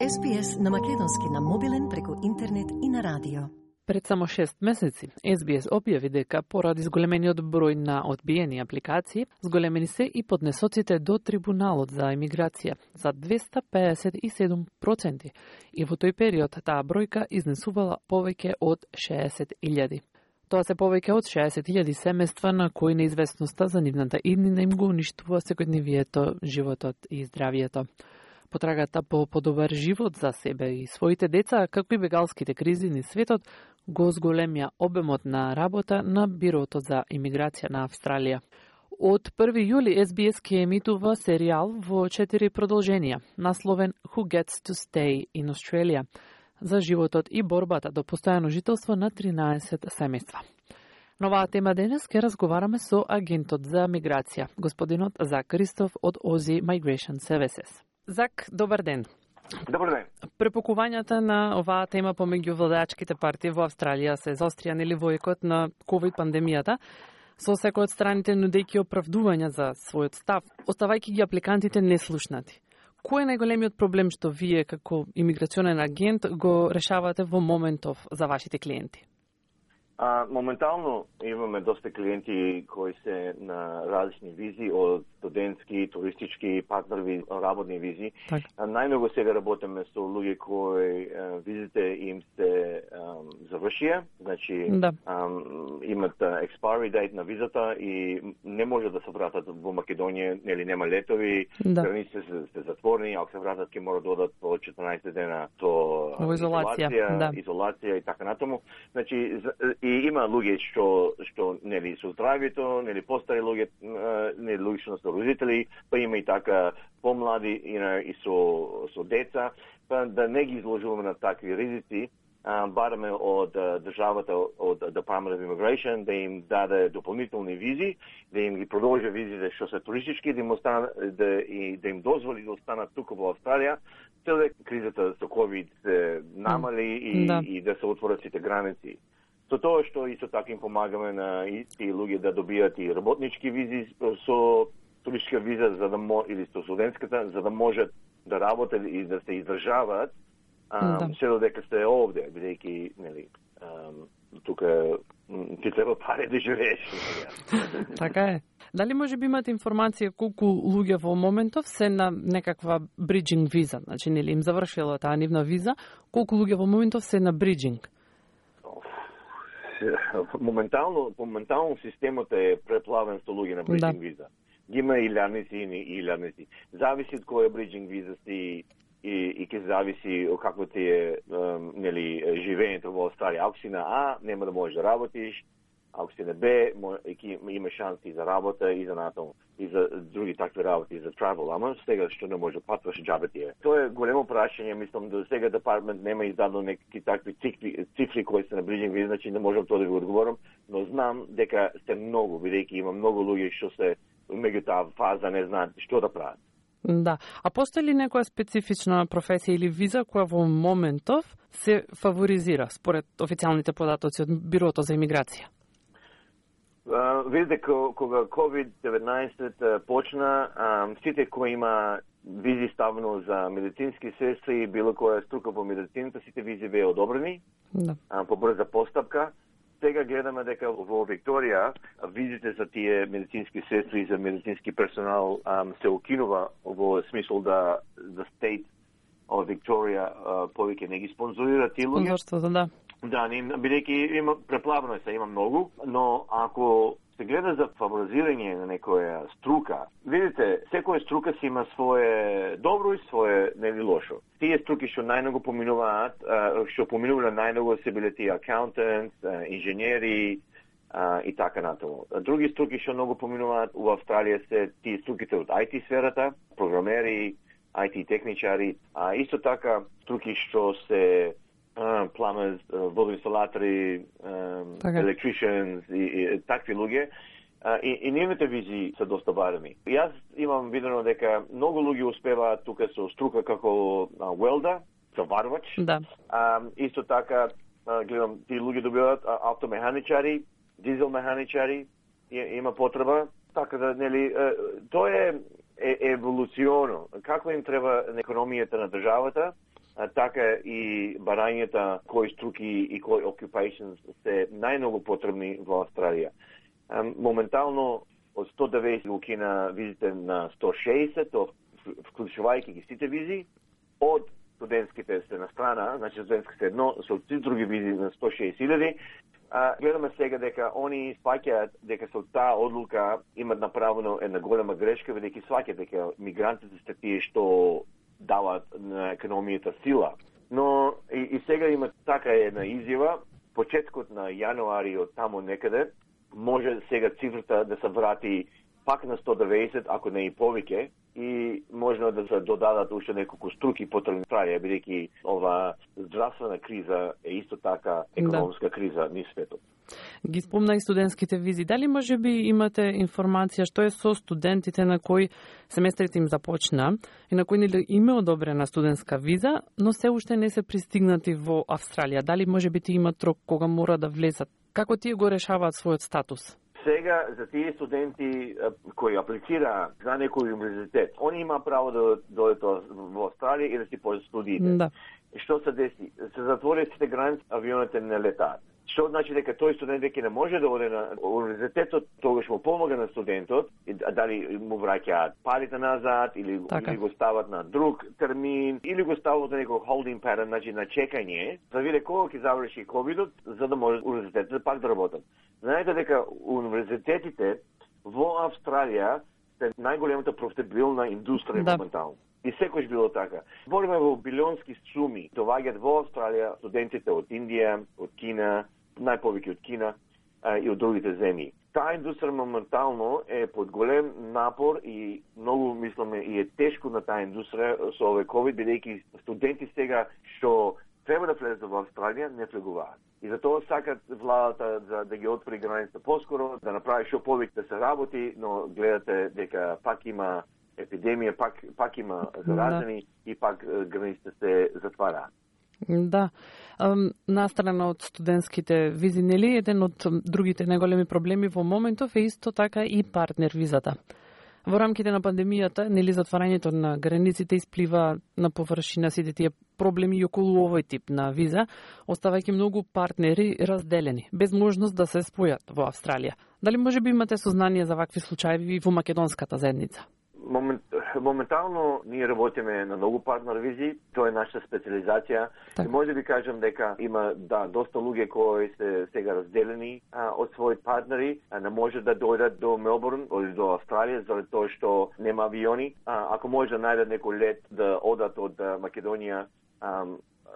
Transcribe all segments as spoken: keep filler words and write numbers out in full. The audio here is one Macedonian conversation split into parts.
Ес Би Ес на македонски на мобилен преку интернет и на радио. Пред само шест месеци, Ес Би Ес објави дека поради зголемениот број на одбиени апликации, зголемени се и поднесоците до Трибуналот за емиграција за двеста педесет и седум проценти, и во тој период таа бројка изнесувала повеќе од шеесет илјади. Тоа се повеќе од шеесет илјади семејства на кои неизвестноста за нивната иднина им го уништува секојдневието, животот и здравието. Потрагата по подобар живот за себе и своите деца, како и бегалските кризи низ светот, го зголемија обемот на работа на Бирото за имиграција на Австралија. Од први јули Ес Би Ес ќе емитува серијал во четири продолженија, насловен Who Gets to Stay in Australia, за животот и борбата до постојано жителство на тринаесет семејства. На оваа тема денес ќе разговараме со агентот за миграција, господинот Зак Кристоф од Aussie Migration Services. Зак, добар ден. Добар ден. Препокувањата на оваа тема помеѓу владеачките партии во Австралија се заострија нели во екот на ковид пандемијата, со секој од страните нудејќи оправдувања за својот став, оставајќи ги апликантите неслушнати. Кој е најголемиот проблем што вие како имиграционен агент го решавате во моментов за вашите клиенти? А, моментално имаме доста клиенти кои се на различни визи, од студентски, туристички, партнерви, работни визи. Так. Најмногу сега работиме со луѓе кои а, визите им се завршија, значи да. а, имат expiry date на визата и не може да се вратат во Македонија, нели нема летови, да. границите се, се затворени, ако се вратат ќе мора да одат по четрнаесет дена со изолација, изолација, да. изолација и така натаму. Значи и има луѓе што што нели со здравјето, нели постари луѓе, нели луѓе што се родители, па има и така помлади и, и со со деца, па да не ги изложуваме на такви ризици, бараме од државата, од Department of Immigration да им даде дополнителни визи, да им ги продолжи визите што се туристички, да им остана, да и да им дозволи да останат тука во Австралија, целе кризата со ковид се намали и, да. и да се отворат сите граници. Со тоа што исто така им помагаме на исти луѓе да добијат и работнички визи со туристичка виза за да мо, или со студентската, за да можат да работат и да се издржаваат да. се додека сте овде, бидејќи нели тука ти треба пари да живееш. Така е. Дали може би имате информација колку луѓе во моментов се на некаква бриджинг виза, значи нели им завршила таа нивна виза, колку луѓе во моментов се на бриджинг? Моментално, моментално системот е преплавен со луѓе на бриджинг да. виза. Ги има илјадници и илјадници. Зависи од која бриджинг виза си и, и ке зависи од какво ти е нели живењето во Австралија. Ако си на А, нема да можеш да работиш. Ако си на Б, има шанси за работа и за натаму, и за други такви работи, за travel. Ама сега што не може патваш џабе ти е. Тоа е големо прашање, мислам да сега департмент нема издадено некакви такви цифри, цифри кои се на бриджинг виза, значи не можам тоа да ви одговорам, но знам дека сте многу, бидејќи има многу луѓе што се меѓу таа фаза не знаат што да прават. Да. А постои ли некоја специфична професија или виза која во моментов се фаворизира според официјалните податоци од Бирото за имиграција? Uh, видите, кога ковид деветнаесет почна, uh, сите кои има визи ставено за медицински сестри и било која струка во медицината, сите визи беа одобрени да. uh, по брза постапка. Сега гледаме дека во Викторија визите за тие медицински сестри и за медицински персонал um, се укинува во смисол да the state од Викторија uh, повеќе не ги спонзорира тие луѓе. Спонзорството, да. Да, бидејќи има преплавено се, има многу, но ако се гледа за фаворизирање на некоја струка, видите, секоја струка си има свое добро и свое нели лошо. Тие струки што најмногу поминуваат, што поминуваат најмногу се биле тие accountants, инженери и така натаму. Други струки што многу поминуваат у Австралија се тие струките од ай ти сферата, програмери, ай ти техничари, а исто така струки што се Uh, plumbers, uh, водоинсталатори, um, okay. electricians и, и такви луѓе. Uh, и, и нивните визи се доста бареми. Јас имам видено дека многу луѓе успеваат тука со струка како uh, welder, заварвач. Да. Um, исто така, uh, гледам, тие луѓе добиваат uh, автомеханичари, дизел механичари, и, има потреба. Така да, нели, uh, тоа е, е еволуционо. Како им треба економијата на државата а, така и барањата кои струки и кои occupations се најмногу потребни во Австралија. А, моментално од сто деветдесет го кина визите на сто шеесет, вклучувајќи ги сите визи, од студентските се на страна, значи студентските едно, со сите други визи на сто шеесет илјади. А, гледаме сега дека они сваќаат дека со таа одлука имат направено една голема грешка, бидејќи сваќаат дека мигрантите се тие што дават на економијата сила. Но и, и сега има така една изјава, почеткот на јануари од тамо некаде, може сега цифрата да се врати пак на сто деветдесет, ако не и повеќе, и можно да се додадат уште неколку струки потребни Австралија, бидејќи ова здравствена криза е исто така економска да. криза низ светот. Ги спомна и студентските визи. Дали може би имате информација што е со студентите на кои семестрите им започна и на кои нели им е одобрена студентска виза, но се уште не се пристигнати во Австралија? Дали може би ти имат рок кога мора да влезат? Како тие го решаваат својот статус? Сега, за тие студенти кои аплицира за некој универзитет, они има право да дојдат во Австралија и да си почнат студиите. Да. Што се деси? Се затвори сите граници, авионите не летаат. Што значи дека тој студент веќе не може да оде на универзитетот, тогаш му помага на студентот, а дали му враќаат парите назад, или, или го стават на друг термин, или го стават на некој holding pattern, значи на чекање, за виде кога ќе заврши ковидот, за да може универзитетите пак да работат. Знаете дека универзитетите во Австралија се најголемата профитабилна индустрија да. моментално. И секојаш било така. Збориме во билионски суми, доваѓаат во Австралија студентите од Индија, од Кина, најповеќе од Кина а, и од другите земји. Таа индустрија моментално е под голем напор и многу мислиме и е тешко на таа индустрија со овој ковид, бидејќи студенти сега што треба да влезат во Австралија не влегуваат. И затоа сакат владата за да ги отвори границата поскоро, да направи што повеќе да се работи, но гледате дека пак има епидемија, пак, пак има заразени да. и пак границите се затвараат. Да. Настрана од студентските визи, нели, еден од другите најголеми проблеми во моментов е исто така и партнер визата. Во рамките на пандемијата, нели, затварањето на границите исплива на површина сите тие проблеми и околу овој тип на виза, оставајќи многу партнери разделени, без можност да се спојат во Австралија. Дали може би имате сознание за вакви случаи во македонската заедница? Момент, моментално ние работиме на многу партнер визи, тоа е наша специализација. Так. И може да ви кажам дека има да доста луѓе кои се сега разделени а, од своји партнери, а не може да дојдат до Мелбурн или до Австралија заради тоа што нема авиони. А, ако може да најдат некој лет да одат од Македонија, а,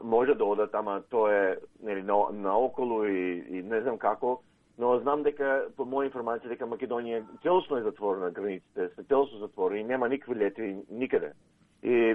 може да одат, ама тоа е нели на, наоколу и, и не знам како. Но знам дека, по моја информација, дека Македонија целосно е затворена, границите се целосно затворени, нема никакви летви никаде. И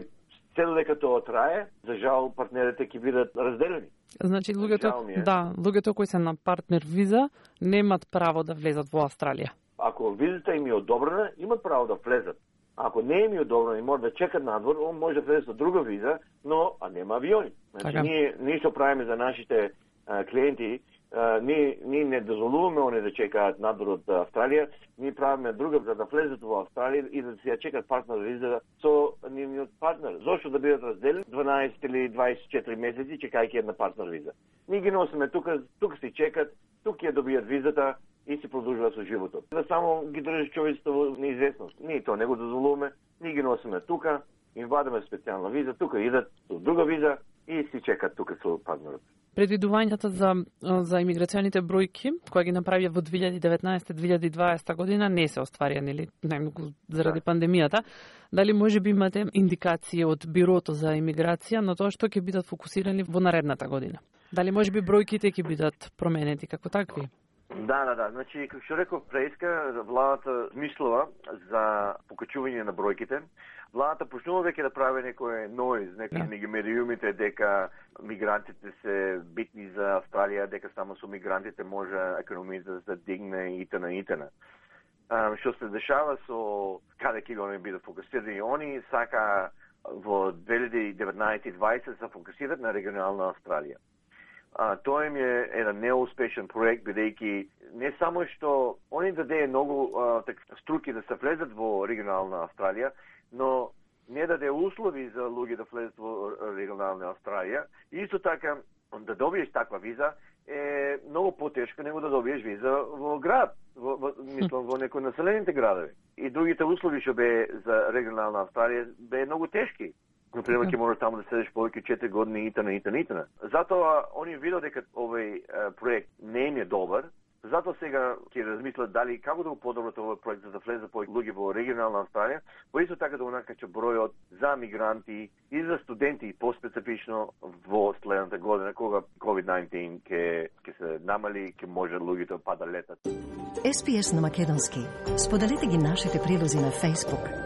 цело дека тоа трае, за жал партнерите ќе бидат разделени. Значи луѓето, да, луѓето кои се на партнер виза немат право да влезат во Австралија. Ако визата им е одобрена, имат право да влезат. Ако не им е одобрена и може да чекат надвор, он може да влезе со друга виза, но а нема авиони. Значи така. ние ние што правиме за нашите а, клиенти, Uh, ние, ние не дозволуваме они да чекаат надвор од Австралија, ние правиме друга за да влезат во Австралија и да се ја чекат партнер виза со нивниот партнер. Зошто да бидат разделени дванаесет или дваесет и четири месеци чекајќи една партнер виза? Ние ги носиме тука, тука си чекат, тука ја добијат визата и си продолжуваат со животот. Да само ги држи човечеството во неизвестност. Ние тоа не го дозволуваме, ние ги носиме тука, им вадиме специјална виза, тука идат со друга виза и си чекат тука со партнерот. Предвидувањата за за имиграционите бројки кои ги направија во две илјади и деветнаесета - две илјади и дваесета година не се остварија, нели, најмногу заради да. пандемијата. Дали може би имате индикации од Бирото за имиграција на тоа што ќе бидат фокусирани во наредната година? Дали може би бројките ќе бидат променети како такви? Да, да, да. Значи, како што реков преска, владата мислува за покачување на бројките. Владата почнува веќе да прави некој ноиз, некои да. меѓу медиумите дека мигрантите се битни за Австралија, дека само со мигрантите може економијата да се дигне и т.н. и т.н. Што се дешава со каде ќе го не бидат фокусирани они, сака во две илјади и деветнаесета и дваесета се фокусират на регионална Австралија. А, тоа им е еден неуспешен проект, бидејќи не само што они даде многу а, так, струки да се влезат во регионална Австралија, но не даде услови за луѓе да влезат во регионална Австралија. Исто така, да добиеш таква виза е многу потешко него да добиеш виза во град, во, во, мислам, во некои населените градови. И другите услови што бе за регионална Австралија бе многу тешки. Например, ќе можеш таму да седеш повеќе четири години итна, итна, итна. Затоа, они видо дека овој проект не им е добар, затоа сега ќе размислат дали како да го подобрат овој проект за да влезе повеќе луѓе во регионална Австралија, во исто така да го накача бројот за мигранти и за студенти, поспецифично во следната година, кога ковид деветнаесет ќе ќе се намали, ќе може луѓето па да летат. Ес Би Ес на македонски. Споделете ги нашите прилози на Facebook,